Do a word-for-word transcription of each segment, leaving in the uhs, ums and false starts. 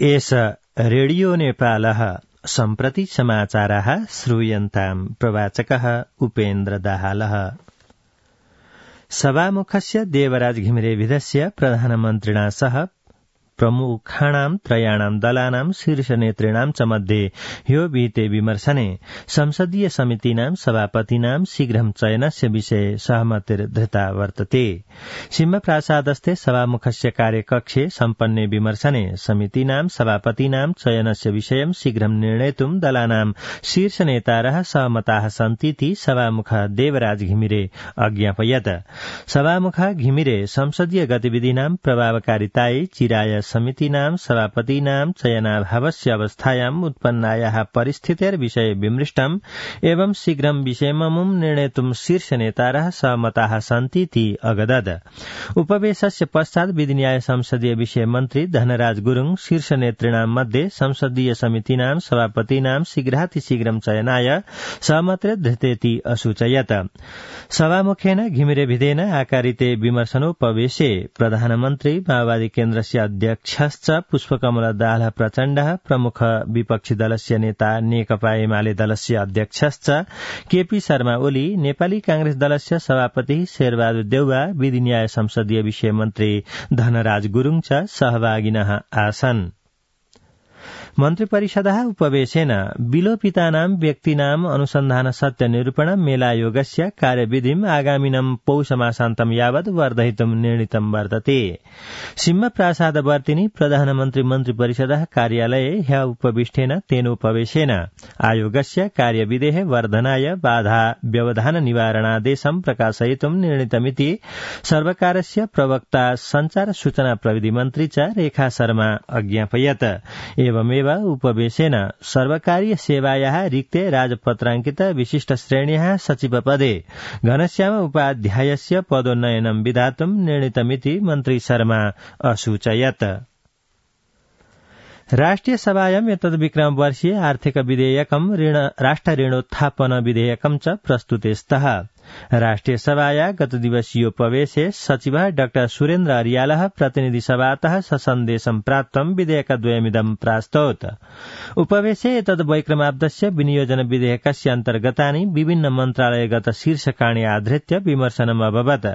एष रेडियो नेपालः सम्प्रति समाचाराः श्रूयन्ताम् प्रवाचकः उपेन्द्र दाहालः। सभामुखस्य देवराज घिमिरेविधस्य प्रधानमन्त्रिणा सह प्रमुखाणां त्रयाणां दलानां शीर्षनेतॄणां च मध्ये ह्यो विहिते विमर्शने संसदीय समितीनां सभापतीनां शीघ्रं चयनस्य विषये सहमतिर्धृता वर्तते। सिंहप्रासादस्थे सभामुखस्य कार्यकक्षे सम्पन्ने विमर्शने समितीनां सभापतीनां चयनस्य विषयं शीघ्रं निर्णेतुं दलानां शीर्षनेतारः सहमताः सन्तीति सभामुख देवराज घिमिरे अज्ञापयत्। सभामुख घिमिरे संसदीय गतिविधिनां प्रभावकारितायै चिराय समितीनां सभापतीनां चयनाभावस्य अवस्थायाम् उत्पन्नायाः परिस्थितेर्विषये विमृष्टम् एवं शीघ्रं विषयममुं निर्णेतुं शीर्षनेतारः सहमताः सन्तीति अगदत्। उपवेशस्य पश्चात् विधिन्याय संसदीय विषय मन्त्री धनराज गुरुङ शीर्षनेतॄणां मध्ये संसदीय समितीनां सभापतीनां शीघ्रातिशीघ्रं चयनाय सहमतिर्धृतेति असूचयत्। सभामुखेन घिमिरेभिधेन आकारिते विमर्शनोपवेशे प्रधानमन्त्री माओवादी केन्द्रस्य अध्यक्षश्च पुष्पकमल दाहाल प्रचण्डः प्रमुख विपक्षी दलस्य नेता नेकपा एमाले दलस्य अध्यक्षश्च केपी शर्मा ओली नेपाली कांग्रेस दलस्य सभापति शेरबहादुर देउवा विधिन्याय संसदीय विषय मन्त्री धनराज गुरुङ च सहभागिनः आसन्। मन्त्रिपरिषदः उपवेशेन विलोपितानां व्यक्तीनाम् अनुसन्धान सत्य निरूपण मेलायोगस्य कार्यविधिम् आगामिनं पौषमासान्तं यावत् वर्धयितुं निर्णीतं वर्तते। सिंहप्रासादवर्तिनि प्रधानमन्त्री मन्त्रिपरिषदः कार्यालये ह्यः उपविष्टेन तेनोपवेशेन आयोगस्य कार्यविधेः वर्धनाय बाधा व्यवधान निवारणादेशं प्रकाशयितुं निर्णीतमिति सर्वकारस्य प्रवक्ता संचार सूचना प्रविधि मन्त्री च रेखा शर्मा अज्ञापयत्। एवमेव उपवेशेन सर्वकारीय सेवायाः रिक्ते राजपत्राङ्कित विशिष्ट श्रेण्याः सचिवपदे घनश्याम उपाध्यायस्य पदोन्नयनं विधातुं निर्णीतमिति मन्त्री शर्मा असूचयत्। राष्ट्रिय सभायां एतद् विक्रम वर्षीय आर्थिक विधेयकं ऋण राष्ट्र ऋणोत्थापन विधेयकं च प्रस्तुते स्तः। राष्ट्रिय सभाया गत दिवसीयोपवेशे सचिवः डाक्टर सुरेन्द्र अरियालः प्रतिनिधि सभातः ससन्देशं प्राप्तं विधेयकद्वयमिदं प्रास्तौत्। उपवेशे एतद् वैक्रमाब्दस्य विनियोजन विधेयकस्य अन्तर्गतानि विभिन्न मन्त्रालयगत शीर्षकाणि आधृत्य विमर्शनम् अभवत्।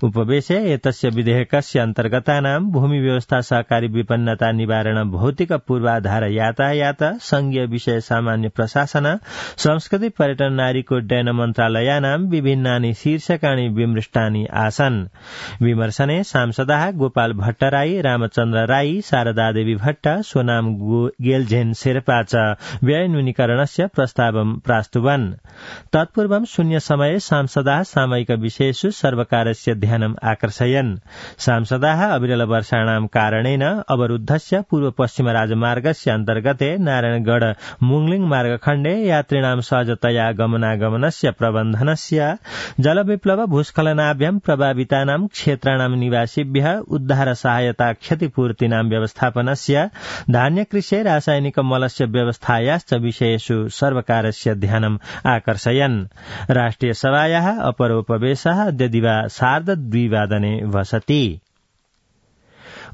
उपवेशे एतस्य विधेयकस्य अन्तर्गतानां भूमि व्यवस्था सहकारी विपन्नता निवारण भौतिक पूर्वाधार यातायात संघीय विषय सामान्य प्रशासन संस्कृति पर्यटन नारीकोड्डयन मन्त्रालयानां विभिन्नानि शीर्षकाणि विमृष्टानि आसन्। विमर्शने सांसदाः गोपाल भट्टराई रामचन्द्र राई शारदादेवी भट्ट सोनाम गेलझेन शेर्पा च व्यय न्यूनीकरणस्य प्रस्तावं प्रास्तुवन्। तत्पूर्वं शून्य समये सांसदाः सामयिक विषयेषु सर्वकारस्य ध्यानम् आकर्षयन्। सांसदाः अविरल वर्षाणां कारणेन अवरुद्धस्य पूर्व पश्चिम राजमार्गस्य अन्तर्गते नारायणगढ़ मुंगलिङ मार्गखण्डे यात्रिणां सहजतया गमनागमनस्य प्रबन्धनस्य जलविप्लव भूस्खलनाभ्यां प्रभावितानां क्षेत्राणां निवासिभ्यः उद्धार सहायता क्षतिपूर्तीनां व्यवस्थापनस्य धान्यकृषे रासायनिक मलस्य व्यवस्थायाश्च विषयेषु सर्वकारस्य ध्यानम् आकर्षयन्। राष्ट्रिय सभायाः अपरोपवेशः अद्य दिवा सार्धद्विवादने वसति।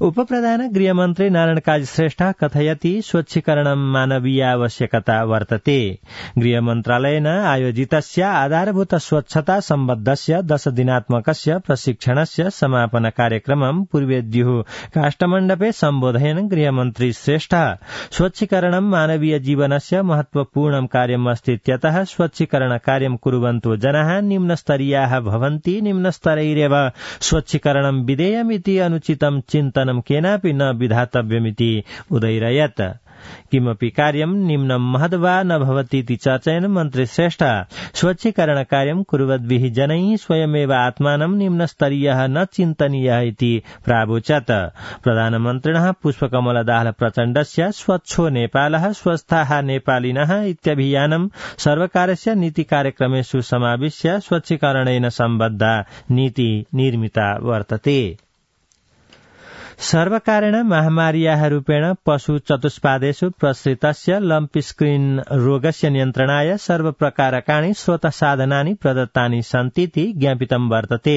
उपप्रधान गृहमन्त्री नारायण काजी श्रेष्ठ कथयति स्वच्छीकरणं मानवीयावश्यकता वर्तते। गृहमन्त्रालयेन आयोजितस्य आधारभूत स्वच्छता सम्बद्धस्य दश दिनात्मकस्य प्रशिक्षणस्य समापन कार्यक्रमं पूर्वेद्युः काष्ठमण्डपे सम्बोधयन् गृहमन्त्री श्रेष्ठ स्वच्छीकरणं मानवीय जीवनस्य महत्वपूर्णं कार्यम् अस्तीत्यतः स्वच्छीकरण कार्यं कुर्वन्तो जनाः निम्नस्तरीयाः भवन्ति। निम्नस्तरैरेव स्वच्छीकरणं विधेयमिति अनुचितं चिन्तनं केनापि न विधातव्यमिति उदैरयत्। किमपि कार्यं निम्नं महद्वा न भवतीति चर्चयन् मन्त्री श्रेष्ठ स्वच्छीकरण कार्यं कुर्वद्भिः जनैः स्वयमेव आत्मानं निम्नस्तरीयः न चिन्तनीयः इति प्रावोचत्। प्रधानमन्त्रिणः पुष्पकमल दाहाल प्रचण्डस्य स्वच्छो नेपालः स्वस्थाः नेपालिनः इत्यभियानं सर्वकारस्य नीति कार्यक्रमेषु समाविश्य स्वच्छीकरणेन सम्बद्धा नीति निर्मिता वर्तते। सर्वकारेण महामार्याः रूपेण पशु चतुष्पादेषु प्रसृतस्य लम्पी स्किन रोगस्य नियन्त्रणाय सर्वप्रकारकाणि स्रोतसाधनानि प्रदत्तानि सन्तीति ज्ञापितं वर्तते।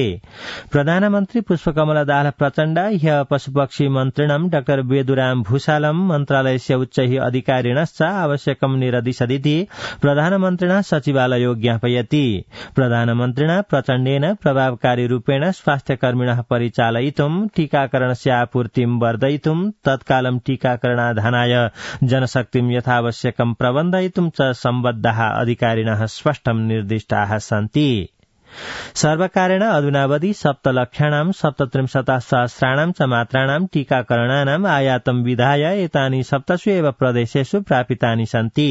प्रधानमन्त्री पुष्पकमलदास प्रचण्ड ह्यः पशुपक्षी मन्त्रिणं डाक्टर वेदुराम भूषालं मन्त्रालयस्य उच्चैः अधिकारिणश्च आवश्यकं निरदिशदिति प्रधानमन्त्रिणा सचिवालयो ज्ञापयति। प्रधानमन्त्रिणा प्रचण्डेन प्रभावकारी रूपेण स्वास्थ्यकर्मिणः परिचालयितुं टीकाकरणस्य पूर्तिं वर्धयितुं तत्कालं टीकाकरणाधानाय जनशक्तिं यथावश्यकं प्रबन्धयितुं च सम्बद्धाः अधिकारिणः स्पष्टं निर्दिष्टाः सन्ति। सर्वकारेण अधुनावधि सप्तलक्षाणां सप्तत्रिंशत् सहस्राणां च मात्राणां टीकाकरणानाम् आयातं विधाय एतानि सप्तसु एव प्रदेशेषु प्रापितानि सन्ति।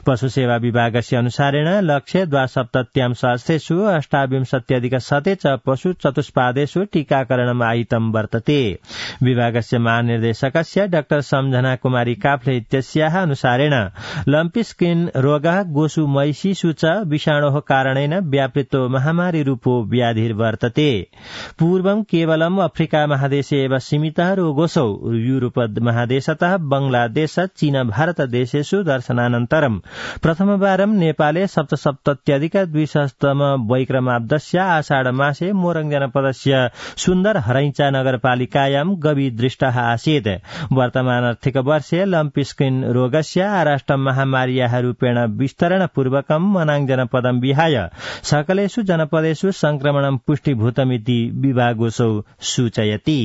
पशुसेवा विभागस्य अनुसारेण लक्ष्ये द्वासप्तत्यां सहस्रेषु अष्टाविंशत्यधिक शते च पशु चतुष्पादेषु टीकाकरणम् आहितं वर्तते। विभागस्य महानिर्देशकस्य डाक्टर सम्झना कुमारी काफ्ले इत्यस्याः अनुसारेण लम्पी स्किन रोगः गोषु महिषीषु च विषाणोः कारणेन व्यापृतो महामारी रूपो व्याधिर्वर्तते। पूर्वं केवलम् अफ्रिका महादेशे एव सीमितः रोगोऽसौ यूरोप महादेशतः बंगलादेश चीन भारत देशेषु दर्शनानन्तरं प्रथमवारं नेपाले सप्तसप्तत्यधिक द्विसहस्रतम वैक्रमाब्दस्य आषाढ मासे मोरङ जनपदस्य सुन्दर हरैंचा नगरपालिकायां गवी दृष्टः आसीत्। वर्तमान आर्थिक वर्षे लम्पी स्किन रोगस्य आराष्टं महामार्याः रूपेण विस्तरणपूर्वकं मनाङ जनपदं विहाय सकलेषु जनपदेषु संक्रमणं पुष्टिभूतमिति विभागोऽसौ सूचयति।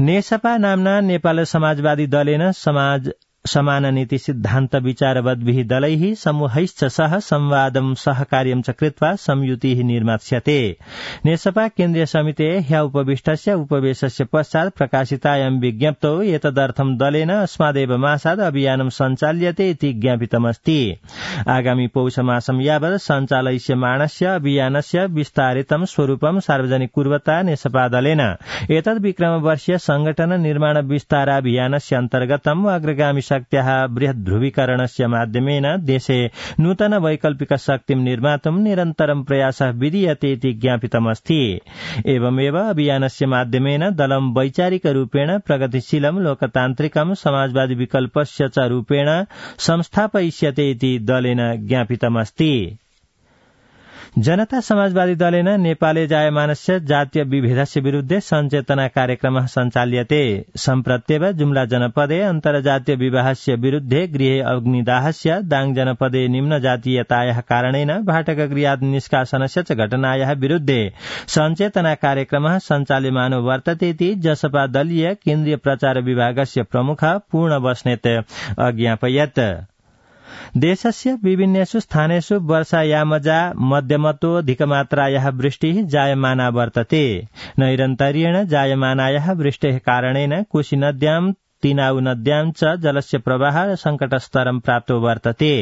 नेसपा नाम्ना नेपाल समाजवादी दलेन समाज समान नीति सिद्धान्त विचारवद्भिः दलैः समूहैश्च सह संवादं सहकार्यं च कृत्वा संयुतिः निर्मास्यते। नेसपा केन्द्रीय समितेः ह्यः उपविष्टस्य उपवेशस्य पश्चात् प्रकाशितायां विज्ञप्तौ एतदर्थं दलेन अस्मादेव मासाद् अभियानं सञ्चाल्यते इति ज्ञापितमस्ति। आगामि पौषमासं यावत् सञ्चालयिष्यमाणस्य अभियानस्य विस्तारितं स्वरूपं सार्वजनिक कुर्वता नेसपा दलेन एतद् विक्रमवर्षीय संगठन निर्माण विस्ताराभियानस्य अन्तर्गतम् अग्रगामि शक्त्याः बृहत् ध्रुवीकरणस्य माध्यमेन देशे नूतन वैकल्पिक शक्तिं निर्मातुं निरन्तरं प्रयासः विधीयते इति ज्ञापितमस्ति। एवमेव अभियानस्य माध्यमेन दलं वैचारिकरूपेण प्रगतिशीलं लोकतान्त्रिकं समाजवादी विकल्पस्य च रूपेण संस्थापयिष्यते इति दलेन ज्ञापितमस्ति। जनता समाजवादी दलेन नेपाले जायमानस्य जातीय विभेदस्य विरुद्धे सञ्चेतना कार्यक्रमः सञ्चाल्यते। सम्प्रत्येव जुम्ला जनपदे अन्तर्जातीय विवाहस्य विरुद्धे गृहे अग्निदाहस्य दाङ जनपदे निम्नजातीयतायाः कारणेन भाटकगृहात् निष्कासनस्य च घटनायाः विरुद्धे सञ्चेतना कार्यक्रमः सञ्चाल्यमानो वर्तते इति जसपा दलीय केन्द्रीय प्रचार विभागस्य प्रमुख पूर्ण बस्नेत अज्ञापयत्। देशस्य विभिन्नेषु स्थानेषु वर्षायामजा मध्यमतोऽधिकमात्रायाः वृष्टिः जायमाना वर्तते। नैरन्तर्येण जायमानायाः वृष्टेः कारणेन कोशी नद्यां तीनाउ नद्यां च जलस्य प्रवाह संकटस्तरं प्राप्तो वर्तते।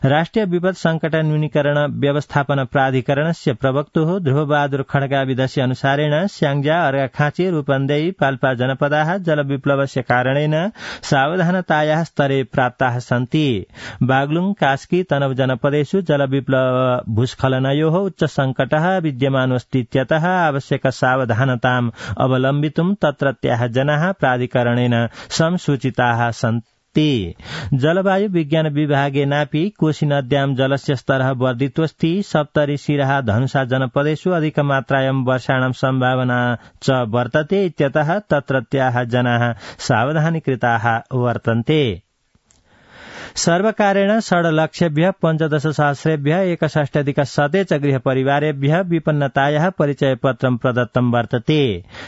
राष्ट्रिय विपद संकट न्यूनीकरण व्यवस्थापन प्राधिकरणस्य प्रवक्तुः ध्रुवबहादुर खड्गाविदस्य अनुसारेण स्याङ्जा अर्घाखाँची रूपन्देही पाल्पा जनपदाः जलविप्लवस्य कारणेन सावधानतायाः स्तरे प्राप्ताः सन्ति। बागलुङ कास्की तनव जनपदेषु जलविप्लव भूस्खलनयोः उच्च संकटः विद्यमानोऽस्तीत्यतः आवश्यक सावधानताम् अवलम्बितुं तत्रत्याः जनाः प्राधिकरणेन संसूचिताः सन्ति। जलवायु विज्ञान विभागेनापि कोशी नद्यां जलस्य स्तरः वर्धितोऽस्ति। सप्तरी सिराहा धनुषा जनपदेषु अधिकमात्रायां वर्षाणां सम्भावना च वर्तते इत्यतः तत्रत्याः जनाः सावधानीकृताः वर्तन्ते। सर्वकारेण षड्लक्षेभ्यः पञ्चदश सहस्रेभ्यः एकषष्ट्यधिक शते च गृहपरिवारेभ्यः विपन्नतायाः परिचयपत्रं प्रदत्तं वर्तते।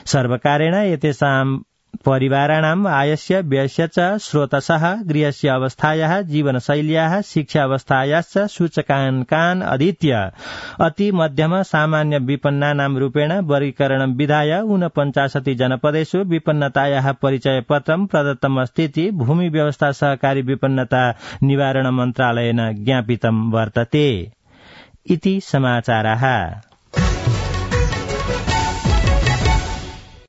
सर्वकारेण एतेषां परिवाराणाम् आयस्य व्ययस्य च स्रोतसः गृहस्य अवस्थायाः जीवनशैल्याः शिक्षावस्थायाश्च सूचकाङ्कान् अधीत्य अति मध्यम सामान्य विपन्नानां रूपेण वर्गीकरणं विधाय ऊनपञ्चाशति जनपदेषु विपन्नतायाः परिचयपत्रं प्रदत्तमस्ति इति भूमि व्यवस्था सहकारी विपन्नता निवारण मन्त्रालयेन ज्ञापितं वर्तते। इति समाचाराः।